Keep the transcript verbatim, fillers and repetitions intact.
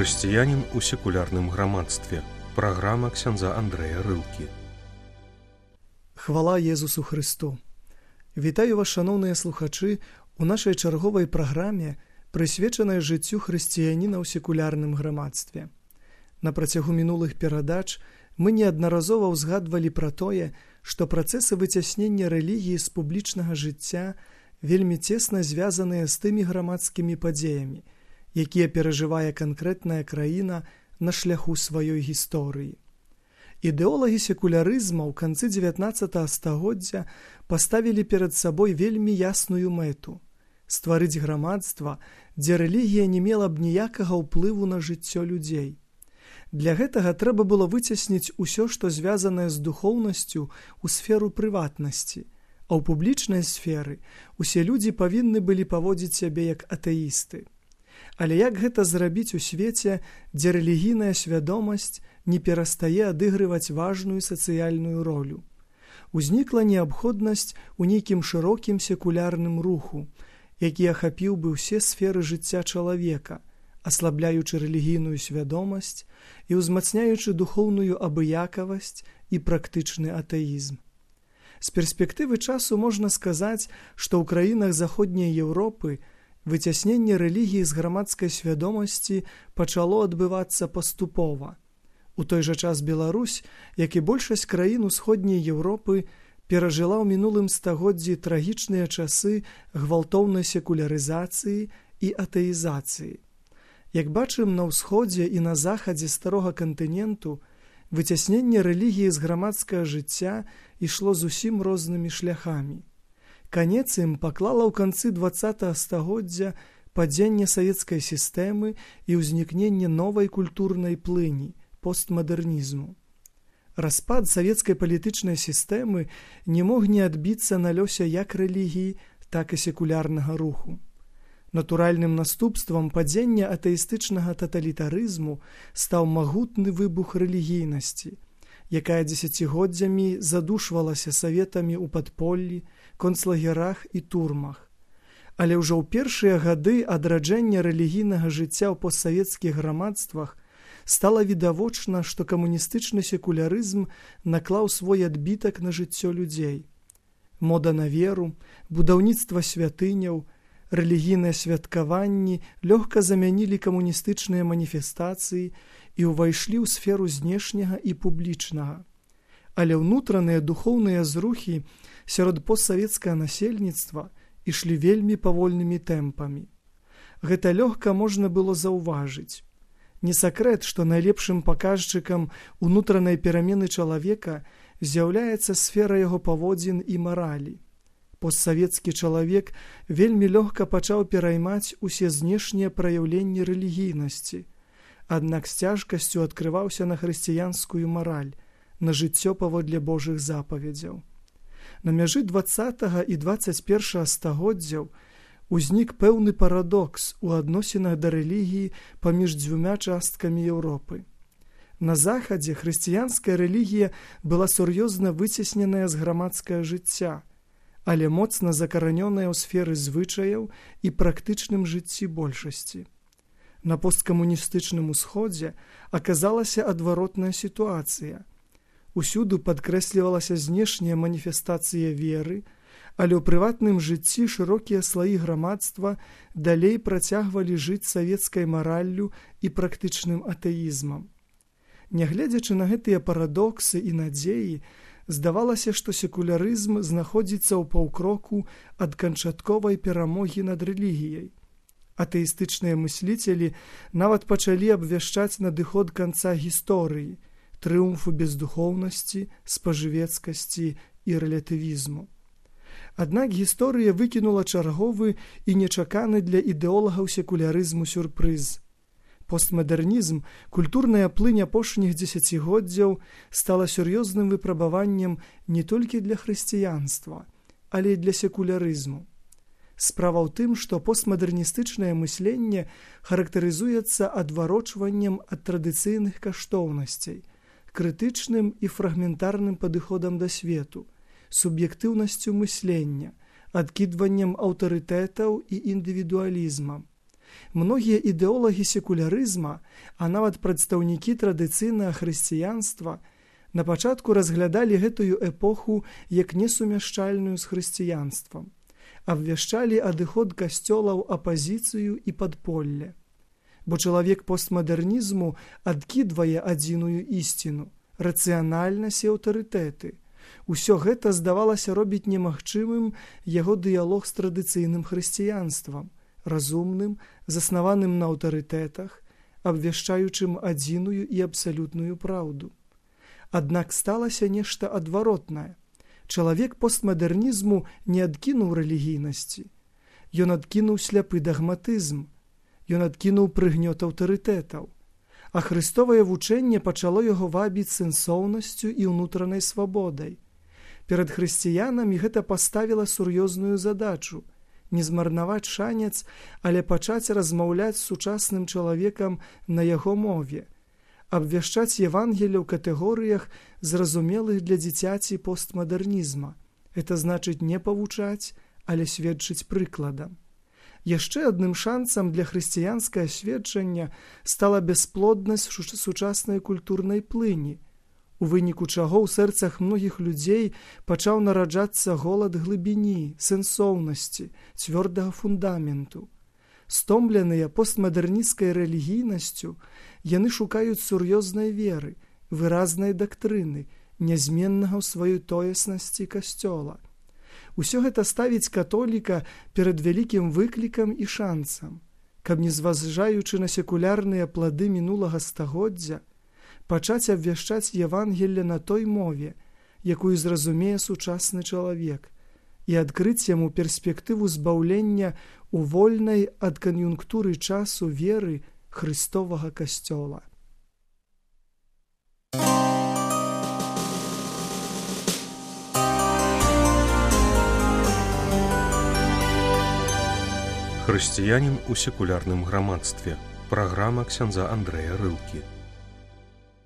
Хрысціянін у секулярным грамадстве. Праграма ксяндза Андрэя Рылкі. Хвала Езусу Христу! Вітаю вас, шановныя слухачы, у нашай чарговай праграме, прысвечанай жыццю хрысціяніна ў секулярным грамадстве. На працягу мінулых перадач мы неаднаразова ўзгадвалі пра тое, што працэсы выцяснення рэлігіі з публічнага жыцця вельмі цесна звязаныя з тымі грамадскімі падзеямі, якія перажывае канкрэтная краіна на шляху сваёй гісторыі. Ідэолагі секулярызма ў канцы дзевятнаццатага стагоддзя паставілі перад сабой вельмі ясную мэту – стварыць грамадства, дзе рэлігія не мела б ніякага ўплыву на жыццё людзей. Для гэтага трэба было выцясніць усё, што звязанае з духоўнасцю ў сферу прыватнасці, а ў публічнай сферы усе людзі павінны былі паводзіць сябе як атэісты. Але як гэта зрабіць у свеце, дзе рэлігійная свядомасць не перастае адыгрываць важную сацыяльную ролю? Узнікла неабходнасць у нейкім шырокім секулярным руху, які ахапіў бы ўсе сферы жыцця чалавека, аслабляючы рэлігійную свядомасць і ўзмацняючы духоўную абыякавасць і практычны атэізм. З перспектывы часу можна сказаць, што ў краінах Заходняй Еўропы выцясненне рэлігіі з грамадскай свядомасці пачало адбывацца паступова. У той жа час Беларусь, як і большасць краін Усходняй Еўропы, перажыла ў мінулым стагоддзі трагічныя часы гвалтоўнай секулярызацыі і атэізацыі. Як бачым, на ўсходзе і на захадзе старога кантыненту выцясненне рэлігіі з грамадскага жыцця ішло зусім рознымі шляхамі. Канец ім паклала ў канцы дваццатага стагоддзя падзенне савецкай сістэмы і ўзнікненне новай культурнай плыні – постмадэрнізму. Распад савецкай палітычнай сістэмы не мог не адбіцца на лёсе як рэлігіі, так і секулярнага руху. Натуральным наступствам падзення атэістычнага таталітарызму стаў магутны выбух рэлігійнасці, якая дзесяцігоддзямі задушвалася саветамі ў падполлі, концлагерах і турмах. Але ўжо ў першыя гады адраджэння рэлігійнага жыцця ў постсавецкіх грамадствах стала відавочна, што камуністычны секулярызм наклаў свой адбітак на жыццё людзей. Мода на веру, будаўніцтва святыняў, рэлігійныя святкаванні лёгка замянілі камуністычныя маніфестацыі і ўвайшлі ў сферу знешняга і публічнага. Але ўнутраныя духоўныя зрухі сярод постсавецкага насельніцтва ішлі вельмі павольнымі тэмпамі. Гэта лёгка можна было заўважыць. Не сакрэт, што найлепшым паказчыкам унутранай перамены чалавека з'яўляецца сфера яго паводзін і маралі. Постсавецкі чалавек вельмі лёгка пачаў пераймаць усе знешнія праяўленні рэлігійнасці, аднак з цяжкасцю адкрываўся на хрысціянскую мараль, на жыццё паводле Божых запаведзяў. На мяжы дваццатага і дваццаць першага стагоддзяў узнік пэўны парадокс у адносінах да рэлігіі паміж дзвюма часткамі Еўропы. На захадзе хрысціянская рэлігія была сур'ёзна выцесненая з грамадскага жыцця, але моцна закаранёная ў сферы звычаяў і практычным жыцці большасці. На посткамуністычным усходзе аказалася адваротная сітуацыя. Усюды падкрэслівалася знешняя маніфестацыя веры, але ў прыватным жыцці шырокія слаі грамадства далей працягвалі жыць савецкай мараллю і практычным атэізмам. Нягледзячы на гэтыя парадоксы і надзеі, здавалася, што секулярызм знаходзіцца ў паўкроку ад канчатковай перамогі над рэлігіяй. Атэістычныя мысліцелі нават пачалі абвяшчаць надыход канца гісторыі, трыумфу бездухоўнасці, спажывецкасці і рэлятывізму. Аднак гісторыя выкінула чарговы і нечаканы для ідэолагаў секулярызму сюрпрыз. Постмадэрнізм, культурная плынь апошніх дзесяцігоддзяў стала сур'ёзным выпрабаваннем не толькі для хрысціянства, але і для секулярызму. Справа ў тым, што постмадэрністычнае мысленне характарызуецца адварочваннем ад традыцыйных каштоўнасцей, крытычным і фрагментарным падыходам да свету, суб'ектыўнасцю мыслення, адкідваннем аўтарытэтаў і індывідуалізмам. Многія ідэолагі секулярызма, а нават прадстаўнікі традыцыйнага хрысціянства на пачатку разглядалі гэтую эпоху як несумяшчальную з хрысціянствам, абвяшчалі адыход касцёла ў апазіцыю і падполле. Бо чалавек постмадэрнізму адкідвае адзіную ісціну, рацыянальнасць і аўтарытэты. Усё гэта здавалася робіць немагчымым яго дыялог з традыцыйным хрысціянствам, разумным, заснаваным на аўтарытэтах, абвяшчаючым адзіную і абсалютную праўду. Аднак сталася нешта адваротнае. Чалавек постмадэрнізму не адкінуў рэлігійнасці. Ён адкінуў сляпы дагматызм. Ён адкінуў прыгнёт аўтарытэтаў. А хрыстовае вучэнне пачало яго вабіць сэнсоўнасцю і ўнутранай свабодай. Перад хрысціянамі гэта паставіла сур'ёзную задачу – не змарнаваць шанец, але пачаць размаўляць з сучасным чалавекам на яго мове, абвяшчаць Евангелле ў катэгорыях, зразумелых для дзіцяці постмадэрнізма. Гэта значыць не павучаць, але сведчыць прыкладам. Яшчэ адным шансам для хрысціянскае сведчання стала бясплоднасць сучаснай культурнай плыні, у выніку чаго ў сэрцах многіх людзей пачаў нараджацца голад глыбіні, сэнсоўнасці, цвёрдага фундаменту. Стомленыя постмадэрнісцкай рэлігійнасцю, яны шукаюць сур'ёзнай веры, выразнай дактрыны, нязменнага ў сваёй тоеснасці касцёла. Усё гэта ставіць католіка перад вялікім выклікам і шансам, каб, не зважаючы на секулярныя плады мінулага стагоддзя, пачаць абвяшчаць Евангелле на той мове, якую зразумее сучасны чалавек, і адкрыць яму перспектыву збаўлення у вольнай ад кан'юнктуры часу веры Хрыстовага касцёла. Хрысціянін у секулярным грамадстве. Праграма ксяндза Андрэя Рылкі.